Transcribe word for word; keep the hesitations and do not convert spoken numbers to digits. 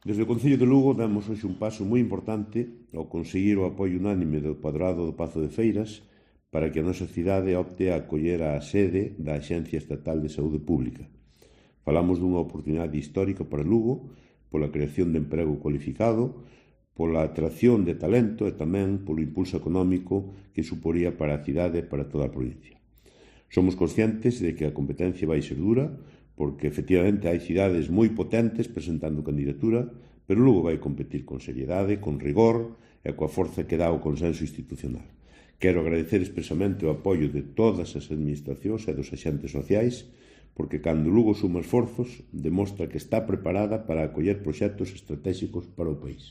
Desde o Concello de Lugo damos hoxe un paso moi importante ao conseguir o apoio unánime do Padrado do Pazo de Feiras para que a nosa cidade opte a acoller a sede da Axencia Estatal de Saúde Pública. Falamos dunha oportunidade histórica para Lugo, pola creación de emprego cualificado, pola atracción de talento e tamén polo impulso económico que suporía para a cidade e para toda a provincia. Somos conscientes de que a competencia vai ser dura, porque efectivamente hai cidades moi potentes presentando candidatura, pero Lugo vai competir con seriedade, con rigor e coa forza que dá o consenso institucional. Quero agradecer expresamente o apoio de todas as administracións e dos axentes sociais, porque cando Lugo suma esforzos, demostra que está preparada para acoller proxectos estratégicos para o país.